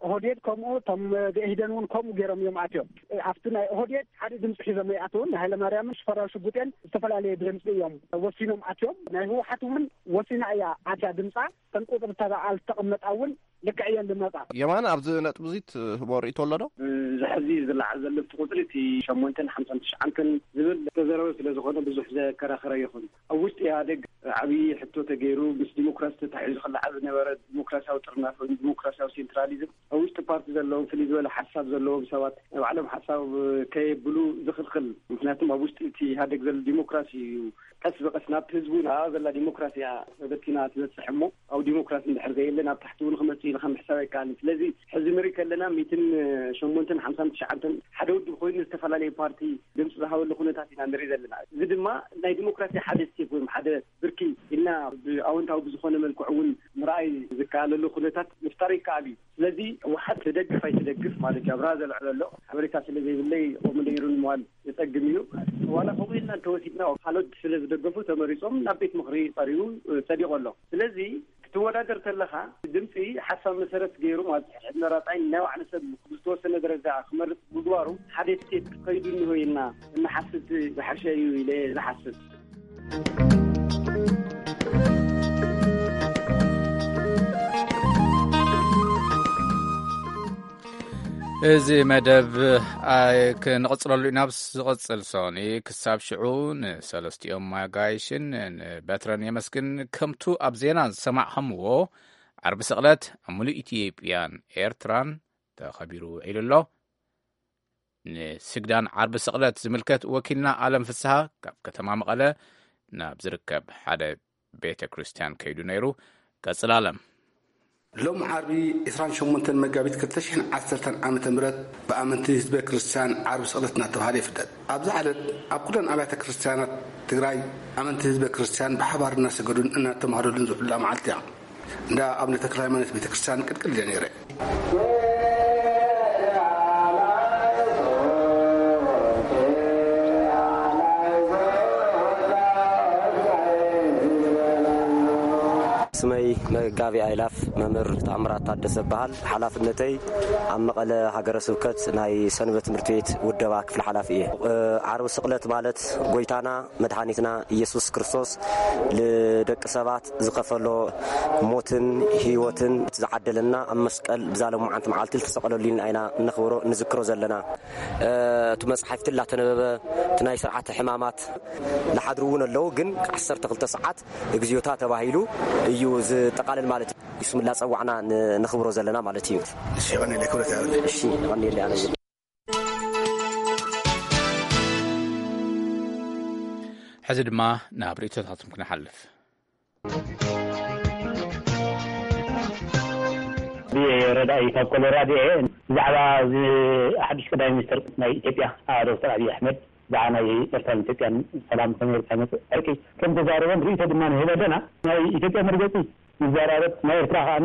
ኦህዴድ ከምኡ፣ እቶም ብኢህዴን እውን ከምኡ ገይሮም እዮም ኣትዮም። ኣብቲ ናይ ኦህዴድ ሓደ ድምፂ ሒዞም ኣይኣተውን። ንሃይለማርያምን ሽፈራው ሽጉጤን ዝተፈላለየ ድምፂ እዮም ወሲኖም ኣትዮም። ናይ ህወሓት እውን ወሲና እያ ኣትያ ድምፃ። እተን ቁፅርታት ኣብ ዝተቐመጣ እውን ልክዕ እየን ዝመፃ። የማነ፣ ኣብዚ ነጥቢ እዚ ትህቦ ርእይቶ ኣሎ ዶ? እዚ ሕዚ ዝለዓል ዘሎ እቲ ቁፅሪ፣ እቲ ሸሞንተን ሓምሳን ትሽዓንተን ዝብል ዝተዘረበ ስለ ዝኾነ፣ ብዙሕ ዘከራኽር ኣይኹን። ኣብ ውሽጢ ኢህኣዴግ ዓብዪ ሕቶ ተገይሩ፣ ምስ ዲሞክራሲ ተታሒዙ ክለዓል ዝነበረ ዲሞክራሲያዊ ጥርናፈ ወይ ዲሞክራሲያዊ ሴንትራሊዝም፣ ኣብ ውሽጢ ፓርቲ ዘለዎም፣ ፍልይ ዝበለ ሓሳብ ዘለዎም ሰባት፣ ናይ ባዕሎም ሓሳብ ከየብሉ ዝኽልኽል። ምክንያቱም ኣብ ውሽጢ እቲ ኢህኣዴግ ዘሎ ዲሞክራሲ እዩ ቀስ ብቐስ ናብቲ ህዝቡ ናብኣ ዘላ ዲሞክራሲ እያ ተበቲና ትበፅሕ እሞ፣ ኣብ ዲሞክራሲ እንድሕር ዘየለ ናብ ታሕቲ እውን ክመፅእ ኢልካ ምሕሳብ ኣይከኣልን። ስለዚ ሕዚ ንርኢ ከለና ሚእትን ሸሞንተን ሓምሳን ትሽዓንተን ሓደ ውድብ ኮይኑ ዝተፈላለየ ፓርቲ ድምፂ ዝሃበሉ ኩነታት ኢና ንርኢ ዘለና። እዚ ድማ ናይ ዲሞክራሲ ሓደ ስቴፕ ወይ ሓደ ብርኪ ኢልና ብኣወንታዊ ብዝኾነ መልክዑ እውን ምርኣይ ዝከኣለሉ ኩነታት ምፍጣር ይከኣል እዩ። ስለዚ ህወሓት ትደግፍ ኣይትደግፍ ማለት እዩ። ኣብርሃ ዘልዕሎ ዘሎ ሓበሬታ ስለ ዘይብለይ ከምኡ ኢሉ ንምባል የጸግም እዩ። ዋላ ከምኡ ኢልና እንተወሲድና፣ ካልኦት ስለ ዝደገፉ ተመሪጾም ናብ ቤት ምኽሪ ቀሪቡ፣ እ፣ ጸዲቑ ኣሎ። ስለዚ ክትወዳደር ተለኻ ድምጺ ሓሳብ መሰረት ገይሩ ማለት እዩ። ሕድመ ራጻይ ናይ ባዕሉ ሰብ ብዝተወሰነ ደረጃ ክመርጽ ምግባሩ ሓደ ስቴፕ ከይዱ እንሆ ኢልና እንሓስብ ዝሓሸ እዩ ኢለ ዝሓስብ። እዚ መደብ፣ ኣይ፣ ክንቕጽለሉ ኢና። ኣብ ዝቕጽል ሰኒ ክሳብ ሽዑ ንሰለስቲኦም ኣጋይሽን ንበትረን የመስግን። ከምቱ ኣብ ዜና ዝሰማዕኸምዎ፣ ዓርቢ ስቕለት ኣብ ሙሉእ ኢትዮጵያን ኤርትራን ተኸቢሩ ውዒሉ ኣሎ። ንስግዳን ዓርቢ ስቕለት ዝምልከት ወኪልና ኣለም ፍስሃ ካብ ከተማ መቐለ ናብ ዝርከብ ሓደ ቤተ ክርስቲያን ከይዱ ነይሩ። ቀጽል ኣለም። ሎም ዓርቢ ዕስራን ሸሞንተን መጋቢት ክልተ ሽሕን ዓሰርተን ዓመተ ምህረት ብኣመንቲ ህዝበ ክርስቲያን ዓርቢ ስቕለት እናተባህለ ይፍለጥ። ኣብዚ ዕለት ኣብ ኩለን ኣብያተ ክርስቲያናት ትግራይ ኣመንቲ ህዝበ ክርስቲያን ብሓባር እናሰገዱን እናተማህለሉን ዝውዕላ መዓልቲ እያ። እንዳ ኣቡነ ተክለ ሃይማኖት ቤተ ክርስቲያን ቅድቅድ ኢለ ነይረ። ስመይ መጋቢ ኣይላፍ መምህር ተኣምራት ታደሰ እበሃል። ሓላፍነተይ ኣብ መቐለ ሃገረ ስብከት ናይ ሰንበት ትምህርቲ ቤት ውደባ ክፍሊ ሓላፊ እየ። ዓርቢ ስቕለት ማለት ጎይታና መድሓኒትና ኢየሱስ ክርስቶስ ንደቂ ሰባት ዝኸፈሎ ሞትን ህይወትን ዝዓደለና ኣብ መስቀል ብዛ ሎማዓንቲ መዓልቲ ዝተሰቐለሉ ኢና እነኽብሮ፣ እንዝክሮ ዘለና። እቲ መፅሓፍቲ እናተነበበ እቲ ናይ ስርዓተ ሕማማት ዝሓድሩ እውን ኣለዉ፣ ግን ዓሰርተ ክልተ ሰዓት እግዚኣብሔር ተባሂሉ እዩ ዝጠቓለል ማለት እዩ። ስም እናፀዋዕና ን- ነኽብሮ ዘለና ማለት እዩ። እሺ፣ የቐንየለይ ክብረት ያብለይ። እሺ፣ የቐንየለይ ኣነ እውን። ሕዚ ድማ ናብ ርእይቶታትኩም ክንሓልፍ። ረዳኢ ካብ ኮሎራዶ እየ። ብዛዕባ እዚ ሓድሽ ቀዳማይ ሚኒስትር ናይ ኢትዮጵያ ዶክተር ኣብይ ኣሕመድ ብዛዕባ ናይ ኤርትራን ኢትዮጵያን ሰላም ከመይ ጌርካ ይመፅእ ዕርቂ ከም ተዛረበን ርእይቶ ድማ ንህብ ኣለና። ናይ ኢትዮጵያ መርገፂ ይዘራረብ፣ ናይ ኤርትራ ከኣ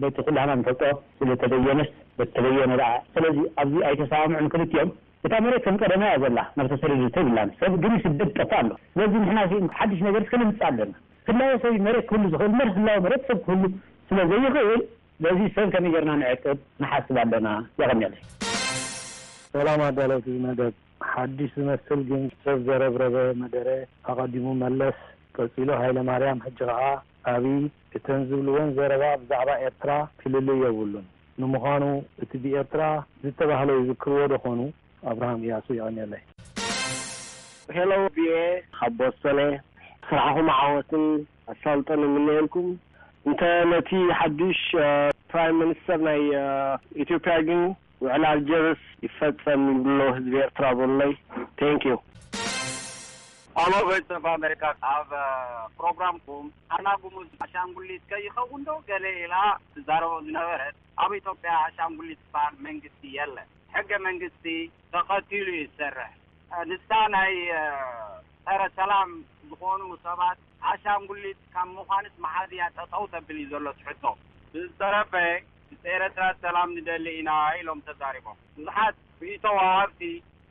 በቲ ኩላህና ንፈልጦ ስለተበየነስ በቲ ተበየነ ደኣ። ስለዚ ኣብዚ ኣይተሰማምዑን ክልቲኦም። እታ መሬት ከም ቀደማ እያ ዘላ፣ ናብ ተሰደደቶ ይብላን ሰብ ግን ይስደድ ጠፋ ኣሎ። ስለዚ ንሕና ሓድሽ ነገር እስከ ንምፅእ ኣለና። ህላወ ሰብ መሬት ክህሉ ዝኽእል እምበር ህላወ መሬት ሰብ ክህሉ ስለ ዘይኽእል በዚ ሰብ ከመይ ጌርና ንዕቅብ ንሓስብ ኣለና። የቐንየለይ። ሰላም ኣዳለውቲ መደብ። ሓድሽ ዝመስል ግን ሰብ ዘረብረበ መደረ ኣቐዲሙ መለስ፣ ቀጺሉ ሃይለማርያም፣ ሕጂ ኸኣ ኣብይ እተን ዝብልወን ዘረባ ብዛዕባ ኤርትራ ክልልይ የብሉን። ንምዃኑ እቲ ብኤርትራ ዝተባህለ ይዝክርዎ ዶ ኾኑ? ኣብርሃም እያሱ። የቐንየለይ። ሄሎ ቪኦኤ ካብ ቦስተን እየ። ስራሕኹም ዓወትን ኣሳልጦን ይምነየልኩም። እንተ ነቲ ሓድሽ ፕራይም ሚኒስተር ናይ ኢትዮጵያ ግን ውዕል ኣልጀርስ ይፈጸም ይብሎ ህዝቢ ኤርትራ በሉለይ። Thank you። ኣሎ ቮይስ ኦፍ ኣሜሪካ ኣብ ፕሮግራምኩም ኣና ጉሙዝ ኣሻንጉሊት ከይኸውን ዶ ገለ ኢላ ትዛረቦ ዝነበረት። ኣብ ኢትዮጵያ ኣሻንጉሊት ዝበሃል መንግስቲ የለን። ሕገ መንግስቲ ተኸቲሉ እዩ ዝሰርሕ። ንሳ ናይ ጸረ ሰላም ዝኾኑ ሰባት ኣሻንጉሊት ካብ ምዃንስ መሓዝያ ጠጠው ተብል እዩ ዘሎ ትሕቶ። ብዝተረፈ ምስ ኤረትራ ሰላም ንደሊ ኢና ኢሎም ተዛሪቦም። ብዙሓት ርእይቶ ወሃብቲ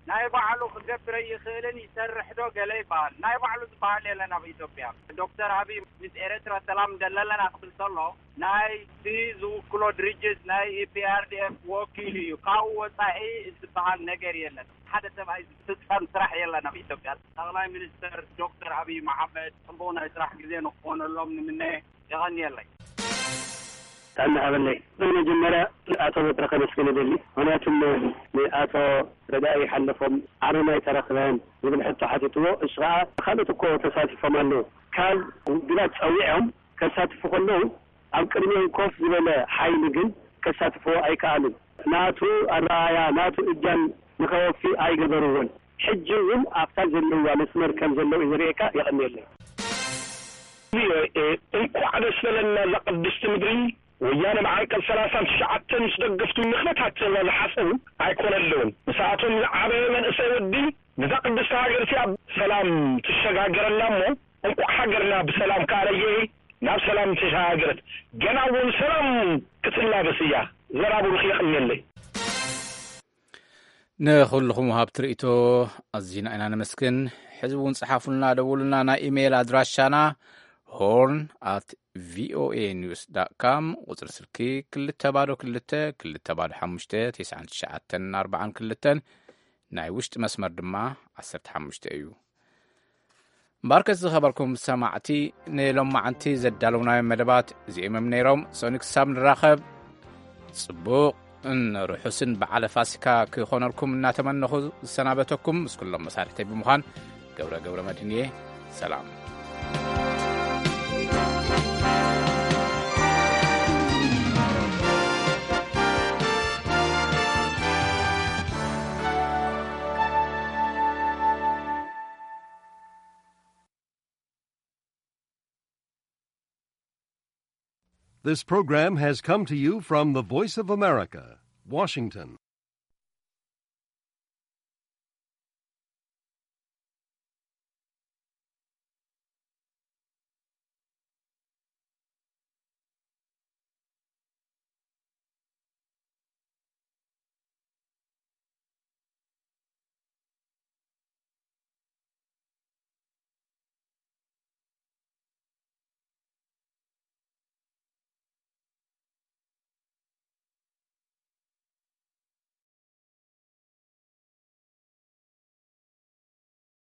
ናይ ባዕሉ ክገብር ኣይኽእልን ይሰርሕ ዶ ገለ ይበሃል። ናይ ባዕሉ ዝበሃል የለን ኣብ ኢትዮጵያ። ዶክተር ኣብይ ምስ ኤረትራ ሰላም ንደሊ ኣለና ክብል ከሎ ናይ እቲ ዝውክሎ ድርጅት ናይ ኢፒኣርዲኤፍ ወኪል እዩ። ካብኡ ወፃኢ ዝበሃል ነገር የለን። ሓደ ሰብኣይ ዝፍፀም ስራሕ የለን ኣብ ኢትዮጵያ። ጠቕላይ ሚኒስተር ዶክተር ኣብይ መሓመድ ፅቡቕ ናይ ስራሕ ግዜ ንክኾነሎም ንምነ። የቐንየለይ። ጥዕና ሃበለይ። ብመጀመርያ ንኣቶ በትረ ከመስግን እደሊ። ምኽንያቱም ንኣቶ ረዳኢ ሓለፎም ዓርብና ኣይተረኽበን ዝብል ሕቶ ሓቲትዎ። እሱ ኸዓ ካልኦት እኮ ተሳቲፎም ኣለዉ። ካብ ውድባት ጸዊዖም ከሳትፉ ከለዉ ኣብ ቅድሚኦም ኮፍ ዝበለ ሓይሊ ግን ከሳትፍዎ ኣይከኣሉን። ናቱ ኣረኣእያ ናቱ እጃም ንኸወፊ ኣይገበርዎን። ሕጂ እውን ኣብታ ዘለዋ መስመር ከም ዘለዉ እዩ ዘርእየካ። የቐንየለይ። ቪኦኤ እንኳዕ ደስ በለና እዛ ቅድስቲ ምድሪ። ወያነ ብዓንቀጽ ሰላሳን ትሽዓተን ምስ ደገፍቱ ንኽነታተዋ ዝሓሰቡ ኣይኮነለውን። ምስኣቶም ዝዓበየ መንእሰይ ወዲ ነዛ ቅድስቲ ሃገር እቲኣ ሰላም ትሸጋገረላ እሞ እንኳዕ ሃገርና ብሰላም ከኣለየ ናብ ሰላም ተሸጋገረት። ገና እውን ሰላም ክትላበስ እያ። ዘራቡሩኽ የቕንየለይ። ንኹልኹም ወሃብቲ ርእይቶ ኣዚና ኢና ነመስግን። ሕዚ እውን ጸሓፉልና፣ ደውሉልና። ናይ ኢሜይል ኣድራሻና ሆርን ኣት ቪኦኤ ኒውስ ዳት ካም፣ ቁጽሪ ስልኪ ክልተ ባዶ ክልተ ክልተ ባዶ ሓሙሽተ ተስዓን ትሽዓተን ኣርባዓን ክልተን፣ ናይ ውሽጢ መስመር ድማ ዓሰርተ ሓሙሽተ እዩ። እምበኣርከስ ዝኸበርኩም ሰማዕቲ፣ ንሎማዓንቲ ዘዳለውናዮም መደባት እዚኦም እዮም ነይሮም። ሰኑይ ክሳብ ንራኸብ፣ ጽቡቕን ርሑስን በዓለ ፋሲካ ክኾነልኩም እናተመነኹ ዝሰናበተኩም ምስ ኩሎም መሳርሕተይ ብምዃን ገብረ ገብረ መድህን እየ። ሰላም። This program has come to you from the Voice of America, Washington.